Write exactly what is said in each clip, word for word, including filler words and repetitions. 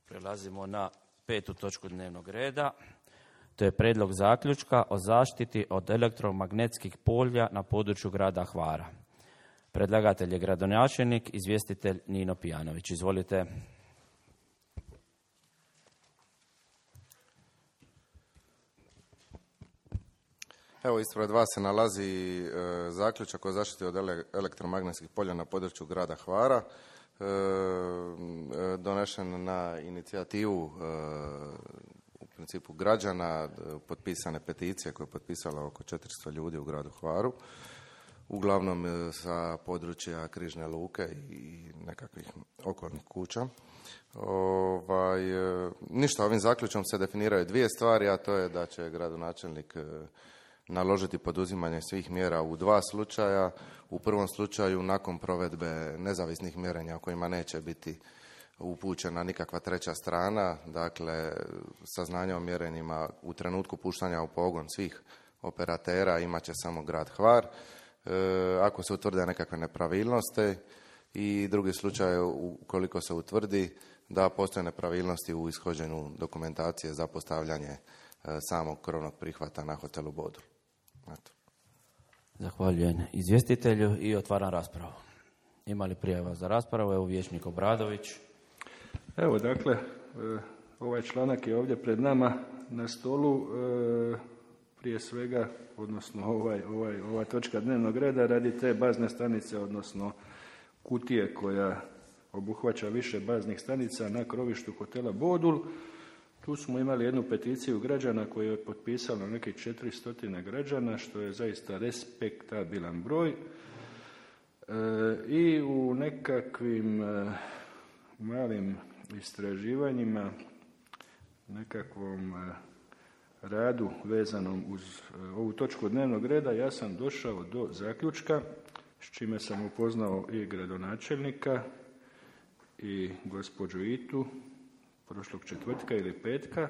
Prelazimo na petu točku dnevnog reda. To je prijedlog zaključka o zaštiti od elektromagnetskih polja na području grada Hvara. Predlagatelj je gradonačelnik, izvjestitelj Nino Pijanović. Izvolite. Evo, ispred vas se nalazi e, zaključak o zaštiti od ele, elektromagnetskih polja na području grada Hvara, e, e, donešen na inicijativu e, u principu građana, potpisane peticije koje je potpisalo oko četiristo ljudi u gradu Hvaru, uglavnom e, sa područja Križne luke i nekakvih okolnih kuća. Ovaj, e, ništa, ovim zaključkom se definiraju dvije stvari, a to je da će gradonačelnik e, naložiti poduzimanje svih mjera u dva slučaja. U prvom slučaju nakon provedbe nezavisnih mjerenja u kojima neće biti upućena nikakva treća strana, dakle saznanja o mjerenjima u trenutku puštanja u pogon svih operatera imat će samo grad Hvar. E, ako se utvrde nekakve nepravilnosti i drugi slučaj ukoliko se utvrdi da postoje nepravilnosti u ishođenju dokumentacije za postavljanje e, samog krovnog prihvata na hotelu Bodul. Eto. Zahvaljujem izvjestitelju i otvaram raspravu. Ima li prijava za raspravu? Evo vijećnik Obradović. Evo, dakle, ovaj članak je ovdje pred nama na stolu, prije svega, odnosno ovaj, ovaj, ova točka dnevnog reda radi te bazne stanice, odnosno kutije koja obuhvaća više baznih stanica na krovištu hotela Bodul. Tu smo imali jednu peticiju građana koju je potpisalo nekih četiristo građana, što je zaista respektabilan broj. E, I u nekakvim e, malim istraživanjima, nekakvom e, radu vezanom uz e, ovu točku dnevnog reda, ja sam došao do zaključka, s čime sam upoznao i gradonačelnika i gospođu Itu, prošlog četvrtka ili petka.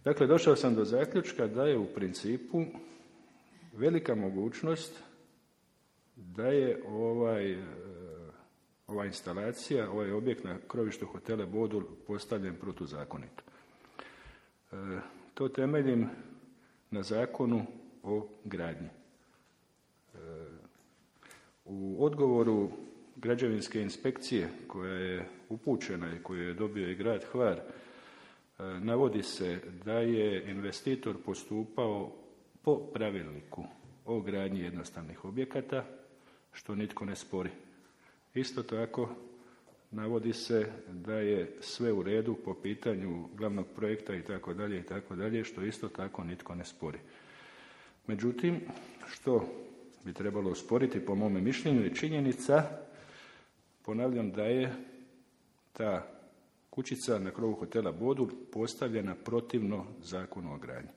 Dakle, došao sam do zaključka da je u principu velika mogućnost da je ovaj, ova instalacija, ovaj objekt na krovištu hotela Bodul postavljen protuzakonito. E, to temeljim na zakonu o gradnji. E, u odgovoru građevinske inspekcije koja je upućena i koju je dobio i grad Hvar, navodi se da je investitor postupao po pravilniku o gradnji jednostavnih objekata, što nitko ne spori. Isto tako navodi se da je sve u redu po pitanju glavnog projekta itd., itd., što isto tako nitko ne spori. Međutim, što bi trebalo osporiti po mome mišljenju je činjenica, ponavljam, da je ta kućica na krovu hotela Bodul postavljena protivno zakonu o gradnji.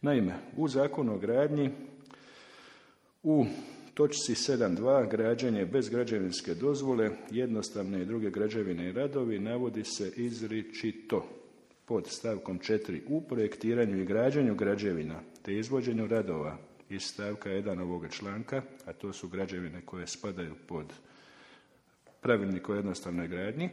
Naime, u zakonu o gradnji u točci sedam dva građenje bez građevinske dozvole, jednostavne i druge građevine i radovi navodi se izričito pod stavkom četiri u projektiranju i građenju građevina te izvođenju radova iz stavka jedan ovoga članka, a to su građevine koje spadaju pod pravilnik o jednostavnoj gradnji,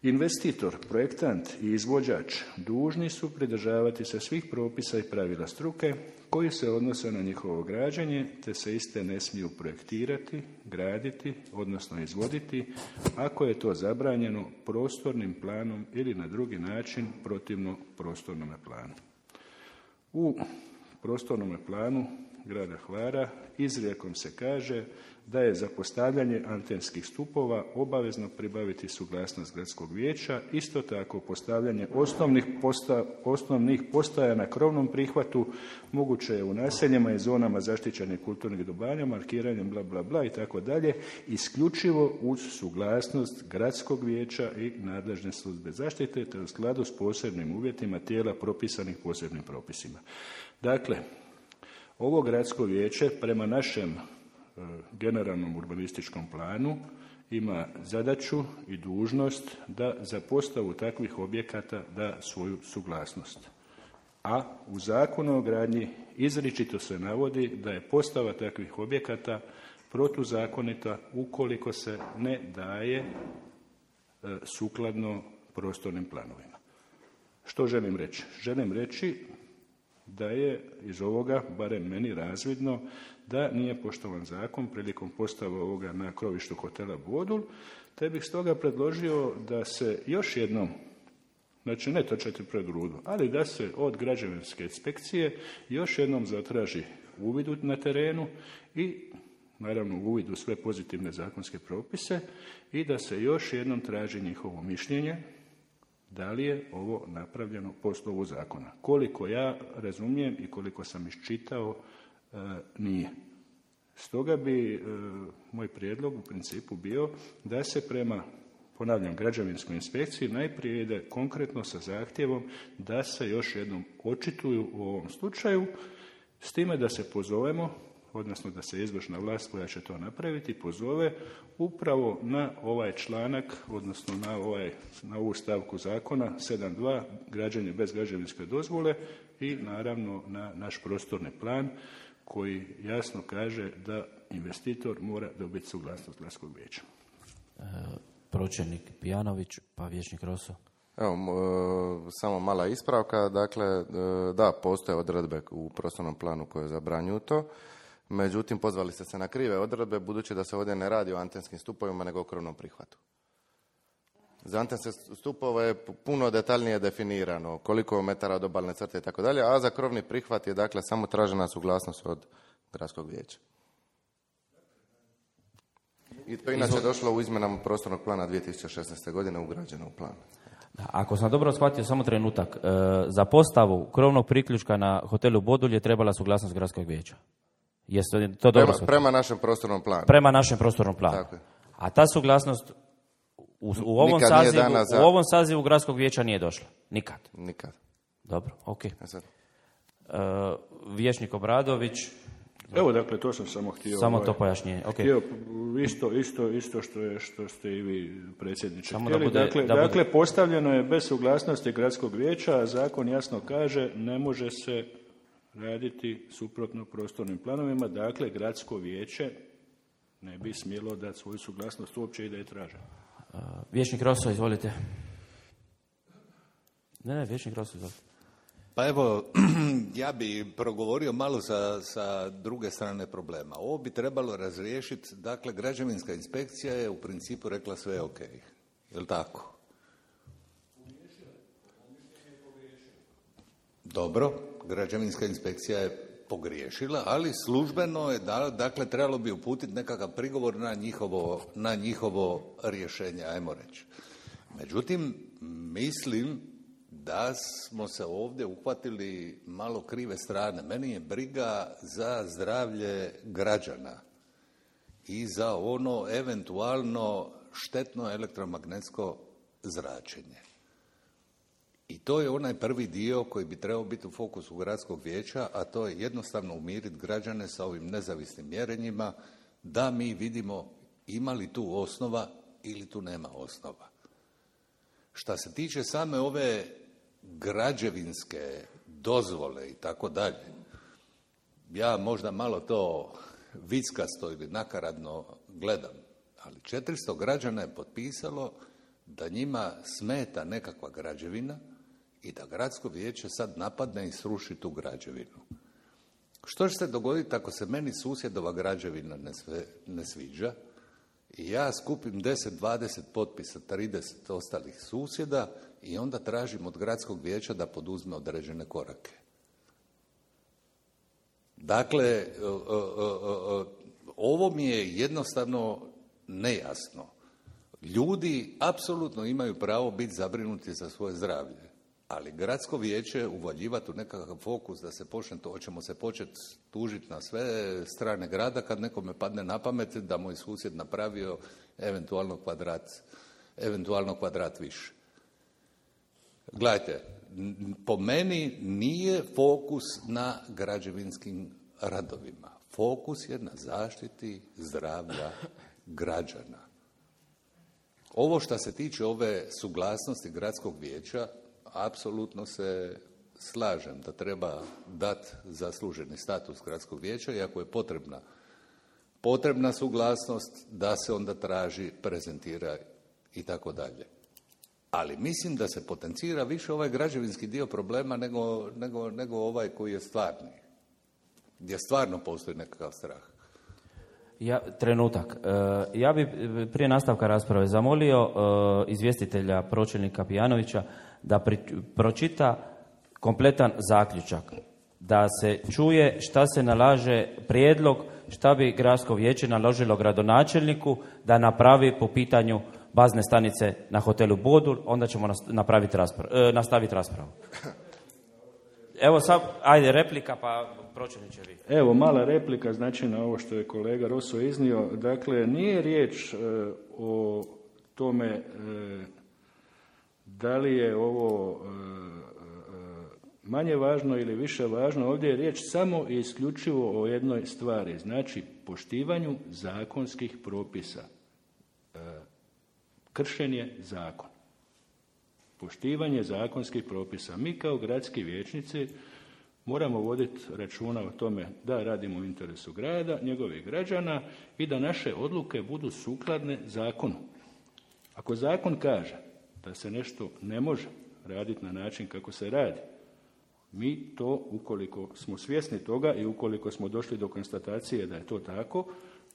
investitor, projektant i izvođač dužni su pridržavati se svih propisa i pravila struke koji se odnose na njihovo građenje, te se iste ne smiju projektirati, graditi, odnosno izvoditi, ako je to zabranjeno prostornim planom ili na drugi način protivno prostornom planu. U prostornom planu grada Hvara izrijekom se kaže da je za postavljanje antenskih stupova obavezno pribaviti suglasnost gradskog vijeća, isto tako postavljanje osnovnih, posta, osnovnih postaja na krovnom prihvatu moguće je u naseljima i zonama zaštićenih kulturnih dobara, markiranjem bla bla bla i tako dalje, isključivo uz suglasnost gradskog vijeća i nadležne službe zaštite, te u skladu s posebnim uvjetima tijela propisanih posebnim propisima. Dakle, ovo gradsko vijeće prema našem generalnom urbanističkom planu ima zadaću i dužnost da za postavu takvih objekata da svoju suglasnost. A u zakonu o gradnji izričito se navodi da je postava takvih objekata protuzakonita ukoliko se ne daje e, sukladno prostornim planovima. Što želim reći? Želim reći da je iz ovoga, barem meni, razvidno da nije poštovan zakon prilikom postave ovoga na krovištu hotela Bodul, te bih stoga predložio da se još jednom, znači ne točati pred grudu, ali da se od građevinske inspekcije još jednom zatraži uvid na terenu i naravno uvid u sve pozitivne zakonske propise i da se još jednom traži njihovo mišljenje da li je ovo napravljeno po slovu zakona. Koliko ja razumijem i koliko sam iščitao, e, nije. Stoga bi e, moj prijedlog u principu bio da se prema, ponavljam, građevinskoj inspekciji najprije ide konkretno sa zahtjevom da se još jednom očituju u ovom slučaju, s time da se pozovemo, odnosno da se izvršna vlast koja će to napraviti pozove upravo na ovaj članak, odnosno na, ovaj, na ovu stavku zakona sedam dva, građenje bez građevinske dozvole i naravno na naš prostorni plan koji jasno kaže da investitor mora dobiti suglasnost gradskog vijeća. E, pročelnik Pijanović, pa vijećnik Roso. Evo, e, samo mala ispravka. Dakle, e, da, postoje odredbe u prostornom planu koje zabranjuju to. Međutim, pozvali ste se na krive odredbe, budući da se ovdje ne radi o antenskim stupovima, nego o krovnom prihvatu. Za antenske stupove je puno detaljnije definirano, koliko metara od obalne crte i tako dalje, a za krovni prihvat je dakle samo tražena suglasnost od gradskog vijeća. I to inače došlo u izmjenama prostornog plana dvije tisuće šesnaeste. godine ugrađeno u plan. Ako sam dobro shvatio, samo trenutak, e, za postavu krovnog priključka na hotelu Bodul je trebala suglasnost gradskog vijeća. Jeste to dobro prema, prema našem prostornom planu. Prema našem prostornom planu. Tako je. A ta suglasnost u, u, ovom sazivu, za... u ovom sazivu gradskog vijeća nije došla? Nikad? Nikad. Dobro, ok. E Uh, vijećnik Obradović. Evo, dakle, to sam samo htio... Samo ovaj, to pojašnjenje, ok. Htio isto, isto, isto što, je, što ste i vi, predsjedniče, samo htjeli. Da bude, dakle, da dakle bude... postavljeno je bez suglasnosti gradskog vijeća, a zakon jasno kaže ne može se raditi suprotno prostornim planovima, dakle, gradsko vijeće ne bi smjelo dati svoju suglasnost uopće i da je traže. Uh, vijećnik Roso, izvolite. Ne, ne, vijećnik Roso, izvolite. Pa evo, ja bi progovorio malo sa, sa druge strane problema. Ovo bi trebalo razriješiti, dakle, građevinska inspekcija je u principu rekla sve ok. Je li tako? Dobro, građevinska inspekcija je pogriješila, ali službeno je, da, dakle, trebalo bi uputiti nekakav prigovor na njihovo, na njihovo rješenje, ajmo reći. Međutim, mislim da smo se ovdje uhvatili malo krive strane. Meni je briga za zdravlje građana i za ono eventualno štetno elektromagnetsko zračenje. I to je onaj prvi dio koji bi trebao biti u fokusu gradskog vijeća, a to je jednostavno umiriti građane sa ovim nezavisnim mjerenjima, da mi vidimo ima li tu osnova ili tu nema osnova. Šta se tiče same ove građevinske dozvole i tako dalje, ja možda malo to vickasto ili nakaradno gledam, ali četiristo građana je potpisalo da njima smeta nekakva građevina i da gradsko vijeće sad napadne i sruši tu građevinu. Što će se dogoditi ako se meni susjedova građevina ne, sve, ne sviđa i ja skupim deset, dvadeset potpisa, trideset ostalih susjeda i onda tražim od gradskog vijeća da poduzme određene korake? Dakle, ovo mi je jednostavno nejasno. Ljudi apsolutno imaju pravo biti zabrinuti za svoje zdravlje, ali gradsko vijeće uvaljivati u nekakav fokus da se počne to, hoćemo se početi tužiti na sve strane grada kad nekome padne na pamet da moj susjed napravio eventualno kvadrat, eventualno kvadrat više. Gledajte, po meni nije fokus na građevinskim radovima. Fokus je na zaštiti zdravlja građana. Ovo što se tiče ove suglasnosti gradskog vijeća, apsolutno se slažem da treba dati zasluženi status gradskog vijeća i ako je potrebna, potrebna suglasnost da se onda traži, prezentira i tako dalje. Ali mislim da se potencira više ovaj građevinski dio problema nego, nego, nego ovaj koji je stvarni. Gdje stvarno postoji nekakav strah. Ja, trenutak. E, ja bi prije nastavka rasprave zamolio e, izvjestitelja pročelnika Pijanovića da pri, pročita kompletan zaključak. Da se čuje šta se nalaže prijedlog, šta bi gradsko vijeće naložilo gradonačelniku da napravi po pitanju bazne stanice na hotelu Bodul, onda ćemo napraviti raspravu, e, nastaviti raspravu. Evo sad, ajde replika, pa pročelniče vi. Evo, mala replika, znači na ovo što je kolega Roso iznio. Dakle, nije riječ e, o tome e, da li je ovo e, manje važno ili više važno. Ovdje je riječ samo i isključivo o jednoj stvari, znači poštivanju zakonskih propisa. E, kršenje zakona. Poštivanje zakonskih propisa. Mi kao gradski vijećnici moramo voditi računa o tome da radimo u interesu grada, njegovih građana i da naše odluke budu sukladne zakonu. Ako zakon kaže da se nešto ne može raditi na način kako se radi, mi to, ukoliko smo svjesni toga i ukoliko smo došli do konstatacije da je to tako,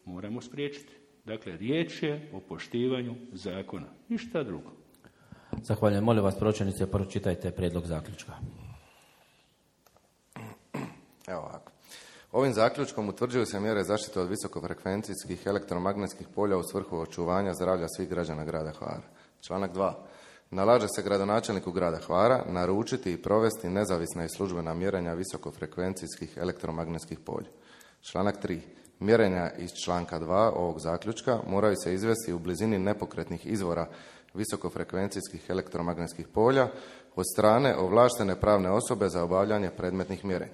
moramo spriječiti. Dakle, riječ je o poštivanju zakona. Ništa drugo. Zahvaljujem. Molim vas, pročelnice, pročitajte prijedlog zaključka. Evo ovako. Ovim zaključkom utvrđuju se mjere zaštite od visokofrekvencijskih elektromagnetskih polja u svrhu očuvanja zdravlja svih građana grada Hvara. Članak dva. Nalaže se gradonačelniku grada Hvara naručiti i provesti nezavisna i službena mjerenja visokofrekvencijskih elektromagnetskih polja. Članak tri. Mjerenja iz članka dva ovog zaključka moraju se izvesti u blizini nepokretnih izvora visokofrekvencijskih elektromagnetskih polja od strane ovlaštene pravne osobe za obavljanje predmetnih mjerenja.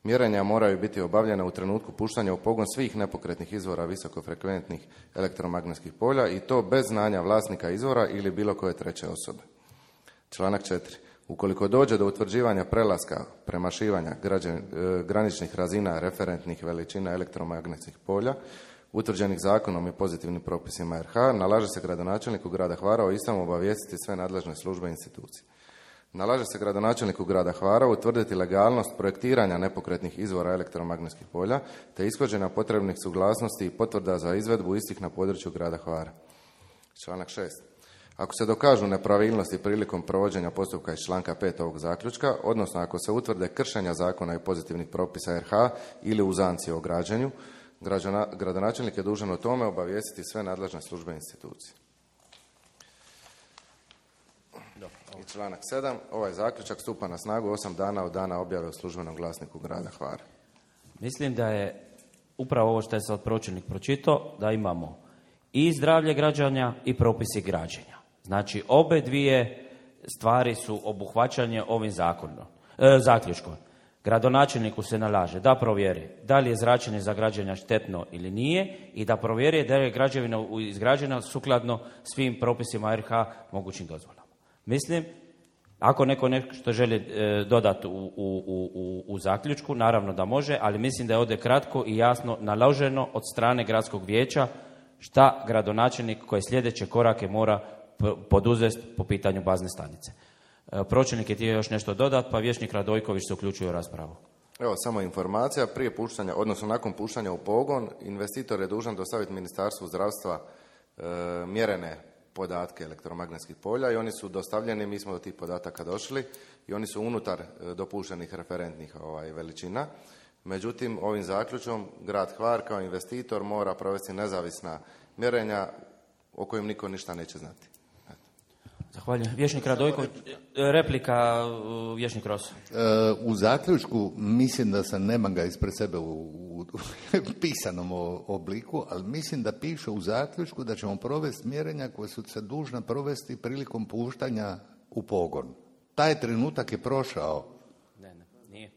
Mjerenja moraju biti obavljena u trenutku puštanja u pogon svih nepokretnih izvora visokofrekventnih elektromagnetskih polja i to bez znanja vlasnika izvora ili bilo koje treće osobe. Članak četiri. Ukoliko dođe do utvrđivanja prelaska, premašivanja građan, e, graničnih razina referentnih veličina elektromagnetskih polja, utvrđenih zakonom i pozitivnim propisima R H, nalaže se gradonačelniku grada Hvara o istom obavijestiti sve nadležne službe i institucije. Nalaže se gradonačelniku grada Hvara utvrditi legalnost projektiranja nepokretnih izvora elektromagnetskih polja te ishođenja potrebnih suglasnosti i potvrda za izvedbu istih na području grada Hvara. Članak šest. Ako se dokažu nepravilnosti prilikom provođenja postupka iz članka pet ovog zaključka, odnosno ako se utvrde kršenja zakona i pozitivnih propisa R H ili uzanci o građenju, građana, gradonačelnik je dužan o tome obavijestiti sve nadležne službe i institucije. I članak sedam. Ovaj zaključak stupa na snagu osam dana od dana objave u službenom glasniku grada Hvara. Mislim da je upravo ovo što je sad pročelnik pročitao, da imamo i zdravlje građana i propisi građenja. Znači, obe dvije stvari su obuhvaćanje ovim zakonom, e, zaključkom. Gradonačelniku se nalaže da provjeri da li je zračenje za građenja štetno ili nije i da provjeri da je građevina izgrađena sukladno svim propisima R H mogućim dozvolama. Mislim, ako neko nešto želi e, dodati u, u, u, u zaključku, naravno da može, ali mislim da je ovdje kratko i jasno naloženo od strane gradskog vijeća šta gradonačelnik koje sljedeće korake mora poduzeti po pitanju bazne stanice. E, pročelnik je htio još nešto dodati, pa vijećnik Radojković se uključuje u raspravu. Evo, samo informacija, prije puštanja, odnosno nakon puštanja u pogon, investitor je dužan dostaviti Ministarstvu zdravstva e, mjerene podatke elektromagnetskih polja i oni su dostavljeni, mi smo do tih podataka došli i oni su unutar e, dopuštenih referentnih ovaj, veličina. Međutim, ovim zaključom grad Hvar kao investitor mora provesti nezavisna mjerenja o kojim niko ništa neće znati. Zahvaljujem. Vijećnik Radojković, replika vijećnik Roso. U zaključku, mislim da sam, nemam ga ispred sebe u, u pisanom obliku, ali mislim da piše u zaključku da ćemo provesti mjerenja koje su se dužna provesti prilikom puštanja u pogon. Taj trenutak je prošao. Ne, ne, nije.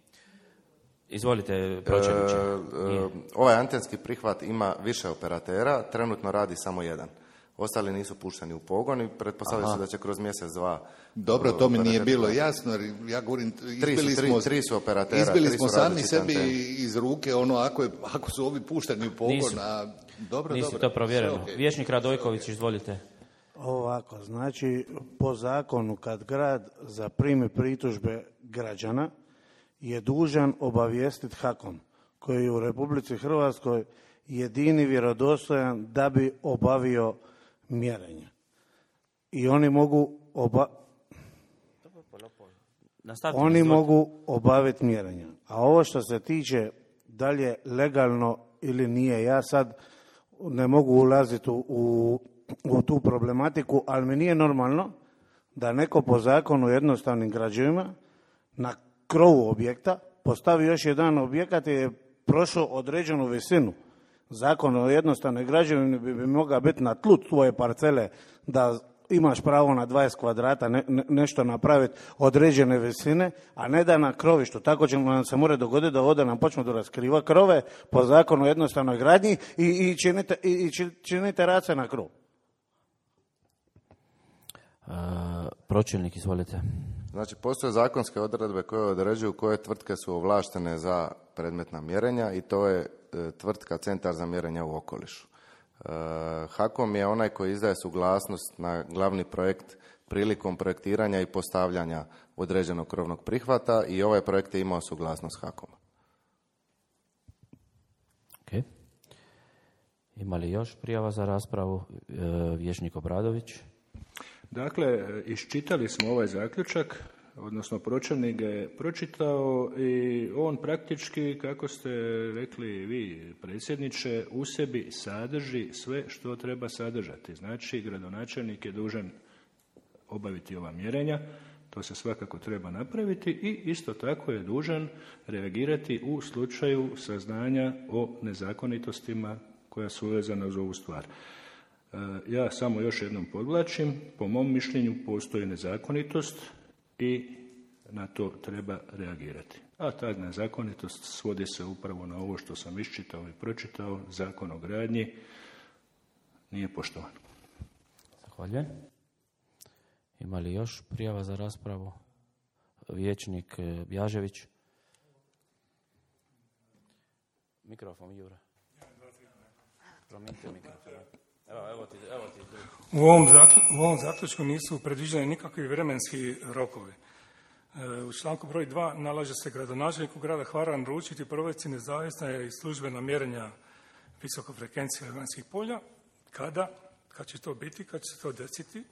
Izvolite, pročelniče. E, e, ovaj antenski prihvat ima više operatera, trenutno radi samo jedan. Ostali nisu pušteni u pogon i pretpostavlja se da će kroz mjesec, dva... Dobro, to mi nije bilo jasno, jer ja govorim, izbili tri su, tri, smo, tri su operatera, izbili tri smo su sami sebi antene. iz ruke, ono, ako, je, ako su ovi pušteni u pogon, Nisu. a dobro, Nisu dobro. to provjereno. Okay. Vijećnik Radojković, izvolite. Ovako, znači po zakonu kad grad zaprimi pritužbe građana je dužan obavijestiti HAKOM koji je u Republici Hrvatskoj jedini vjerodostojan da bi obavio mjerenje. I oni mogu oba... Oni mogu obaviti mjerenja. A ovo što se tiče da li je legalno ili nije, ja sad ne mogu ulaziti u, u, u tu problematiku, ali mi nije normalno da neko po zakonu jednostavnim građevima na krovu objekta postavi još jedan objekat i je prošao određenu visinu. Zakon o jednostavnoj građevini bi, bi mogao biti na tlu tvoje parcele da imaš pravo na dvadeset kvadrata ne, ne, nešto napraviti određene visine, a ne da na krovištu. Tako će nam se mora dogoditi da ovdje nam počnu da raskriva krove po zakonu o jednostavnoj gradnji i, i činite, i, i činite race na krov. Uh, pročelnik, izvolite. Znači, postoje zakonske odredbe koje određuju koje tvrtke su ovlaštene za predmetna mjerenja i to je e, tvrtka Centar za mjerenja u okolišu. E, HAKOM je onaj koji izdaje suglasnost na glavni projekt prilikom projektiranja i postavljanja određenog krovnog prihvata i ovaj projekt je imao suglasnost HAKOM-a. Okay. Ima li još prijava za raspravu? E, Vijećnik Obradović. Dakle, iščitali smo ovaj zaključak, odnosno pročelnik ga je pročitao i on praktički, kako ste rekli vi, predsjedniče, u sebi sadrži sve što treba sadržati. Znači, gradonačelnik je dužan obaviti ova mjerenja, to se svakako treba napraviti i isto tako je dužan reagirati u slučaju saznanja o nezakonitostima koja su vezana uz ovu stvar. Ja samo još jednom podvlačim, po mom mišljenju postoji nezakonitost i na to treba reagirati. A ta nezakonitost svodi se upravo na ovo što sam iščitao i pročitao, Zakon o gradnji nije poštovan. Zahvaljujem. Ima li još prijava za raspravu? Vijećnik Bjažević. Mikrofon, Jure. Promijenite mikrofon. Evo, evo ti, evo ti. U ovom, zakl, u ovom zaključku nisu predviđeni nikakvi vremenski rokovi. E, u članku broj dva nalaže se gradonačelniku grada Hvara naručiti i provesti nezavisna i službena mjerenja visokofrekvencije vanjskih polja. Kada? Kad će to biti? Kad će se to desiti?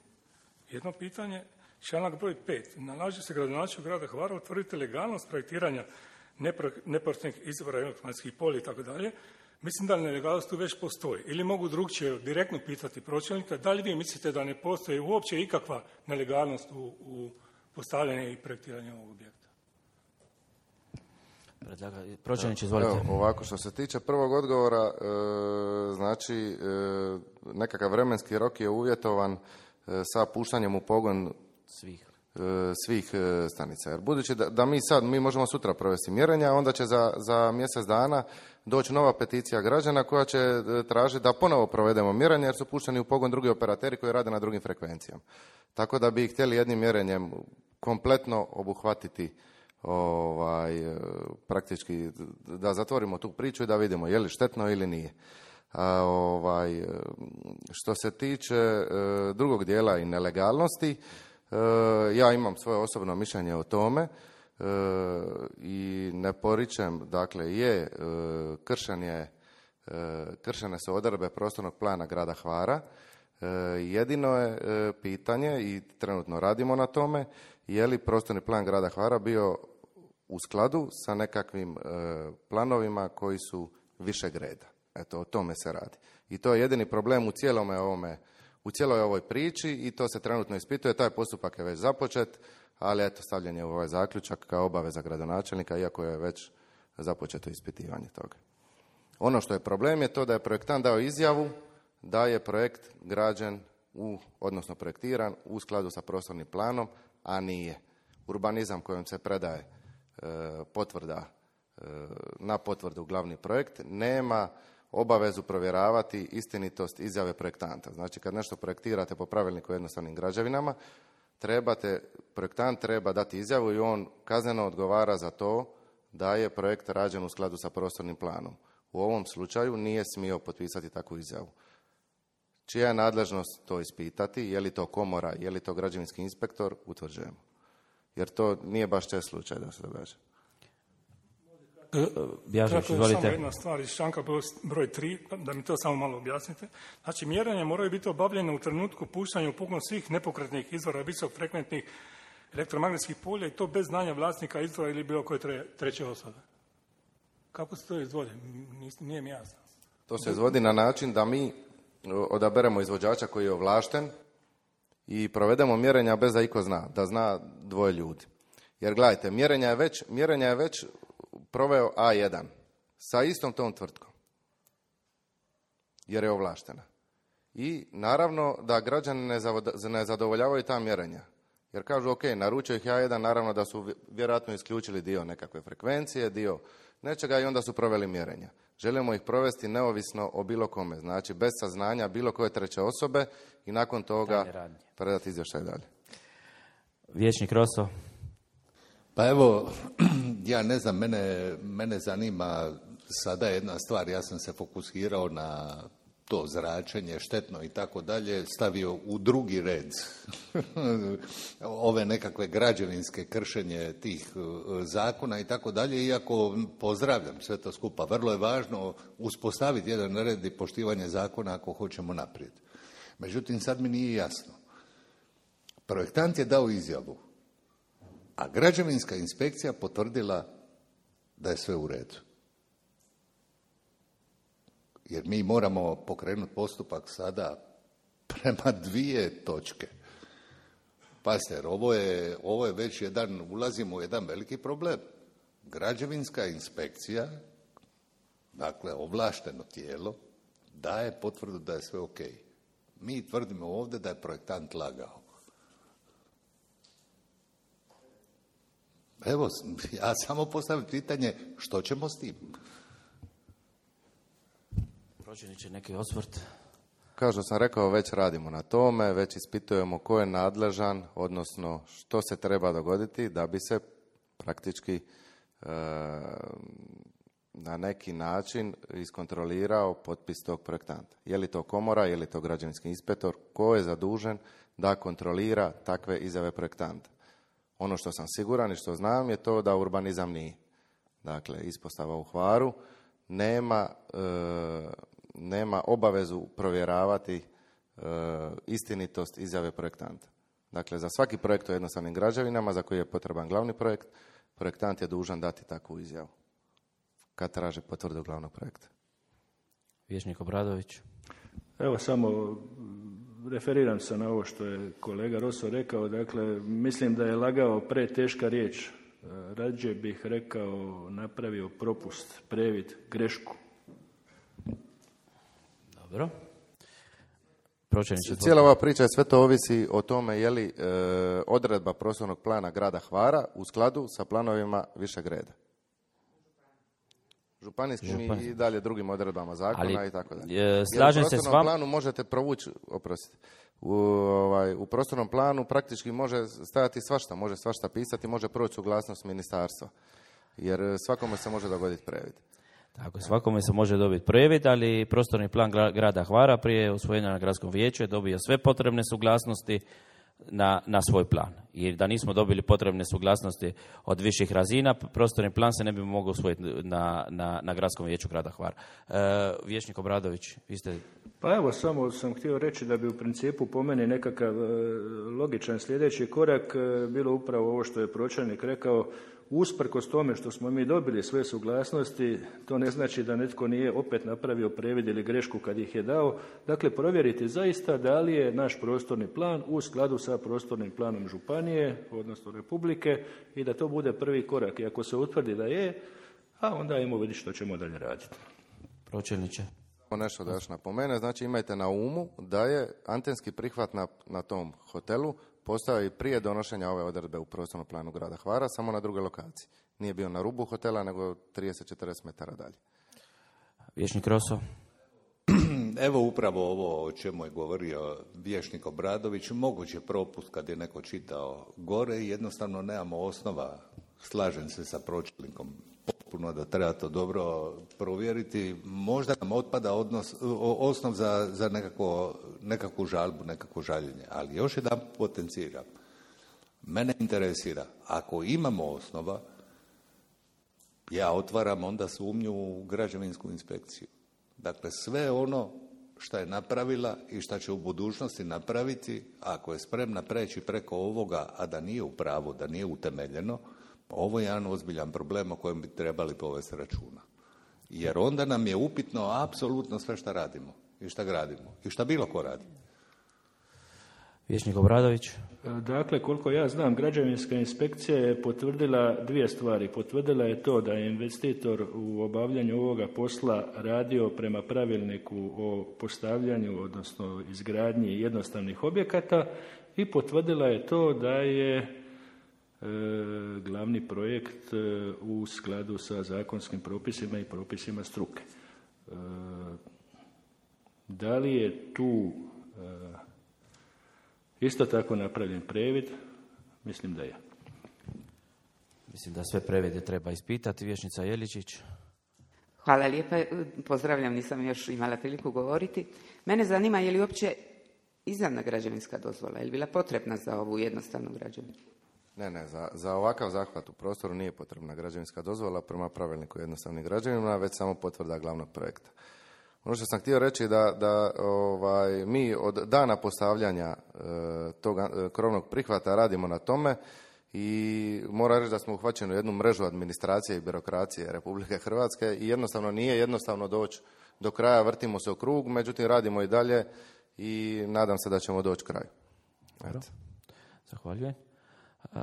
Jedno pitanje. Članak broj pet. Nalaže se gradonačelniku grada Hvara utvrditi legalnost projektiranja neprofitnih izvora vanjskih polja i tako dalje. Mislim da nelegalnost tu već postoji. Ili mogu drugčije direktno pitati pročelnika, da li vi mislite da ne postoji uopće ikakva nelegalnost u, u postavljanju i projektiranju ovog objekta? Pročelnič, izvolite. Evo, ovako, što se tiče prvog odgovora, e, znači e, nekakav vremenski rok je uvjetovan e, sa puštanjem u pogon svih. svih stanica. Jer budući da, da mi sad, mi možemo sutra provesti mjerenja, onda će za, za mjesec dana doći nova peticija građana koja će tražiti da ponovo provedemo mjerenje jer su pušteni u pogon drugi operateri koji rade na drugim frekvencijama. Tako da bi ih htjeli jednim mjerenjem kompletno obuhvatiti ovaj, praktički da zatvorimo tu priču i da vidimo je li štetno ili nije. A, ovaj, što se tiče drugog dijela i nelegalnosti, ja imam svoje osobno mišljenje o tome i ne poričem, dakle je kršen je, kršene su odredbe prostornog plana grada Hvara. Jedino je pitanje i trenutno radimo na tome je li prostorni plan grada Hvara bio u skladu sa nekakvim planovima koji su višeg reda. Eto, o tome se radi. I to je jedini problem u cijelome ovome u cijeloj ovoj priči i to se trenutno ispituje, taj postupak je već započet, ali eto, stavljen je u ovaj zaključak kao obaveza gradonačelnika, iako je već započeto ispitivanje toga. Ono što je problem je to da je projektant dao izjavu da je projekt građen, u, odnosno projektiran u skladu sa prostornim planom, a nije. Urbanizam kojom se predaje e, potvrda e, na potvrdu glavni projekt nema obavezu provjeravati istinitost izjave projektanta. Znači, kad nešto projektirate po pravilniku o jednostavnim građevinama, trebate, projektant treba dati izjavu i on kazneno odgovara za to da je projekt rađen u skladu sa prostornim planom. U ovom slučaju nije smio potpisati takvu izjavu. Čija je nadležnost to ispitati, je li to komora, je li to građevinski inspektor, utvrđujemo. Jer to nije baš čest slučaj da se događa. Kratko je samo jedna stvar iz članka broj tri, da mi to samo malo objasnite. Znači, mjerenja moraju biti obavljene u trenutku puštanja u pogon svih nepokretnih izvora visokofrekventnih elektromagnetskih polja i to bez znanja vlasnika izvora ili bilo koje tre, treće osobe. Kako se to izvodi? Nije mi jasno. To se izvodi na način da mi odaberemo izvođača koji je ovlašten i provedemo mjerenja bez da iko zna, da zna dvoje ljudi. Jer gledajte, mjerenja je već, mjerenja je već proveo A jedan sa istom tom tvrtkom, jer je ovlaštena. I naravno da građani ne, zavod- ne zadovoljavaju ta mjerenja. Jer kažu, ok, naručio ih A jedan, naravno da su vjerojatno isključili dio nekakve frekvencije, dio nečega i onda su proveli mjerenja. Želimo ih provesti neovisno o bilo kome, znači bez saznanja bilo koje treće osobe i nakon toga predati izvještaj dalje. Vijećnik Roso. Pa evo, ja ne znam, mene, mene zanima sada jedna stvar, ja sam se fokusirao na to zračenje, štetno i tako dalje, stavio u drugi red ove nekakve građevinske kršenje tih zakona i tako dalje, iako pozdravljam sve to skupa. Vrlo je važno uspostaviti jedan red i poštivanje zakona ako hoćemo naprijed. Međutim, sad mi nije jasno. Projektant je dao izjavu, a građevinska inspekcija potvrdila da je sve u redu. Jer mi moramo pokrenuti postupak sada prema dvije točke. Pazite, jer ovo je, ovo je već jedan, ulazimo u jedan veliki problem. Građevinska inspekcija, dakle ovlašteno tijelo, daje potvrdu da je sve ok. Mi tvrdimo ovdje da je projektant lagao. Evo, ja samo postavim pitanje, što ćemo s tim? Pročelniče, neki osvrt. Kao što sam rekao, već radimo na tome, već ispitujemo ko je nadležan, odnosno što se treba dogoditi da bi se praktički e, na neki način iskontrolirao potpis tog projektanta. Je li to komora, je li to građevinski inspektor, ko je zadužen da kontrolira takve izjave projektanta. Ono što sam siguran i što znam je to da urbanizam nije. Dakle, ispostava u Hvaru nema, e, nema obavezu provjeravati e, istinitost izjave projektanta. Dakle, za svaki projekt u jednostavnim građevinama za koji je potreban glavni projekt, projektant je dužan dati takvu izjavu kad traže potvrdu glavnog projekta. Vijećnik Obradović. Evo samo referiram se na ovo što je kolega Roso rekao. Dakle, mislim da je lagao preteška riječ. Rađe bih rekao napravio propust, previd, grešku. Dobro. Cijela ova priča, sve to ovisi o tome je li e, odredba prostornog plana grada Hvara u skladu sa planovima višeg reda. Županijskim Župan. i dalje drugim odredbama zakona Ali, i tako dalje. E, slažem se s vama. U prostornom planu možete provući, oprostite, u, ovaj, u prostornom planu praktički može stajati svašta, može svašta pisati, može proći suglasnost ministarstva. Jer svakome se može dogoditi previd. Tako, svakome se može dobiti previd, ali prostorni plan grada Hvara prije usvojenja na gradskom vijeću je dobio sve potrebne suglasnosti na, na svoj plan. I da nismo dobili potrebne suglasnosti od viših razina, prostorni plan se ne bi mogao usvojiti na, na, na gradskom vijeću grada Hvara. E, Vijećnik Obradović, vi ste... Pa evo, samo sam htio reći da bi u principu po meni nekakav logičan sljedeći korak bilo upravo ovo što je pročelnik rekao. Usprkos tome što smo mi dobili sve suglasnosti, to ne znači da netko nije opet napravio previd ili grešku kad ih je dao. Dakle, provjeriti zaista da li je naš prostorni plan u skladu sa prostornim planom županije, odnosno Republike, i da to bude prvi korak. I ako se utvrdi da je, a onda ajmo vidjeti što ćemo dalje raditi. Pročelniče. Nešto da još napomene, znači imajte na umu da je antenski prihvat na, na tom hotelu postao i prije donošenja ove odredbe u prostornom planu grada Hvara, samo na drugoj lokaciji. Nije bio na rubu hotela, nego trideset do četrdeset metara dalje. Vijećnik Roso. Evo upravo ovo o čemu je govorio vijećnik Obradović, moguće propust kad je neko čitao gore i jednostavno nemamo osnova, slažem se sa pročelnikom potpuno da treba to dobro provjeriti. Možda nam otpada odnos, osnov za, za nekako nekakvu žalbu, nekakvo žaljenje. Ali još jedan potenciram. Mene interesira, ako imamo osnova, ja otvaram onda sumnju u građevinsku inspekciju. Dakle, sve ono što je napravila i što će u budućnosti napraviti, ako je spremna preći preko ovoga, a da nije u pravu, da nije utemeljeno, ovo je jedan ozbiljan problem o kojem bi trebali povesti računa. Jer onda nam je upitno apsolutno sve što radimo i što gradimo i što bilo ko radi. Vijećnik Obradović. Dakle, koliko ja znam, građevinska inspekcija je potvrdila dvije stvari. Potvrdila je to da je investitor u obavljanju ovoga posla radio prema pravilniku o postavljanju, odnosno izgradnji jednostavnih objekata, i potvrdila je to da je e, glavni projekt e, u skladu sa zakonskim propisima i propisima struke. E, da li je tu e, isto tako napravljen previd? Mislim da je. Mislim da sve previde treba ispitati. Vijećnica Jeličić. Hvala lijepa. Pozdravljam, nisam još imala priliku govoriti. Mene zanima je li uopće izdana građevinska dozvola, je li bila potrebna za ovu jednostavnu građevinu? Ne, ne, za, za ovakav zahvat u prostoru nije potrebna građevinska dozvola prema pravilniku jednostavnih građevina, već samo potvrda glavnog projekta. Ono što sam htio reći da, da ovaj, mi od dana postavljanja e, tog e, krovnog prihvata radimo na tome i moram reći da smo uhvaćeni u jednu mrežu administracije i birokracije Republike Hrvatske i jednostavno nije jednostavno doći do kraja, vrtimo se u krug, međutim radimo i dalje i nadam se da ćemo doći kraju. Eto. Zahvaljujem. Uh,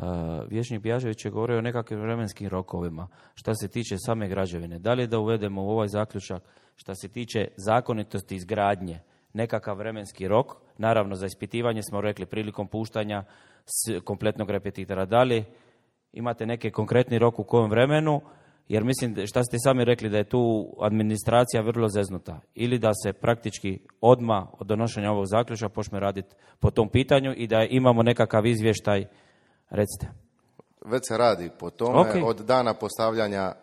Vijećnik Bjažević je govorio o nekakvim vremenskim rokovima. Šta se tiče same građevine, da li da uvedemo u ovaj zaključak šta se tiče zakonitosti izgradnje nekakav vremenski rok, naravno za ispitivanje smo rekli prilikom puštanja kompletnog repetitora. Da li imate neki konkretni rok u kojem vremenu, jer mislim šta ste sami rekli da je tu administracija vrlo zeznuta, ili da se praktički odmah od donošenja ovog zaključka počne raditi po tom pitanju i da imamo nekakav izvještaj. Recite. Već se radi po tome okay. Od dana postavljanja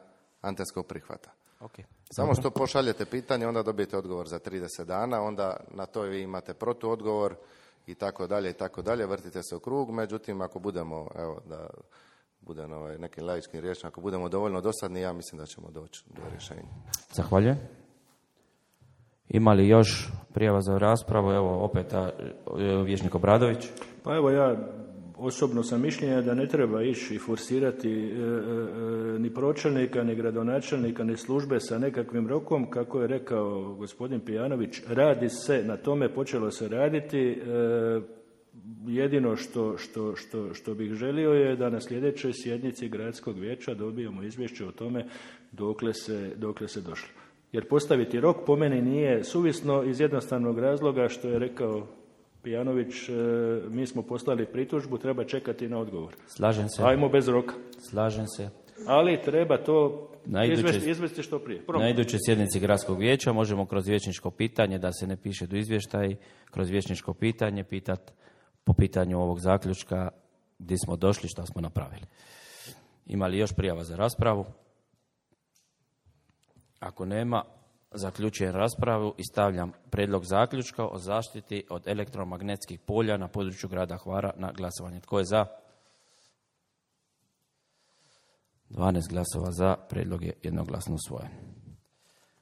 antenskog prihvata. Okay. Samo što pošaljete pitanje, onda dobijete odgovor za trideset dana, onda na to vi imate protuodgovor i tako dalje i tako dalje, vrtite se u krug, međutim ako budemo, evo da budem ovaj, nekim laičkim riječima, ako budemo dovoljno dosadni, ja mislim da ćemo doći do rješenja. Zahvaljujem. Ima li još prijava za raspravu? Evo opet a, Vijećnik Obradović. Pa evo ja osobno sam mišljenja da ne treba ići i forsirati e, e, ni pročelnika, ni gradonačelnika, ni službe sa nekakvim rokom, kako je rekao gospodin Pijanović, radi se na tome, počelo se raditi. E, jedino što, što, što, što bih želio je da na sljedećoj sjednici gradskog vijeća dobijemo izvješće o tome dokle se, dokle se došlo. Jer postaviti rok po meni nije suvisno iz jednostavnog razloga što je rekao Pijanović, mi smo poslali pritužbu, treba čekati na odgovor. Slažem se. Ajmo bez roka. Slažem se. Ali treba to iduće, izvesti, izvesti što prije. Promno. Na idućoj sjednici gradskog vijeća možemo kroz vijećničko pitanje, da se ne piše do izvještaj, kroz vijećničko pitanje pitati po pitanju ovog zaključka gdje smo došli, šta smo napravili. Ima li još prijava za raspravu? Ako nema, zaključujem raspravu i stavljam prijedlog zaključka o zaštiti od elektromagnetskih polja na području grada Hvara na glasovanje. Tko je za? dvanaest glasova za, prijedlog je jednoglasno usvojen.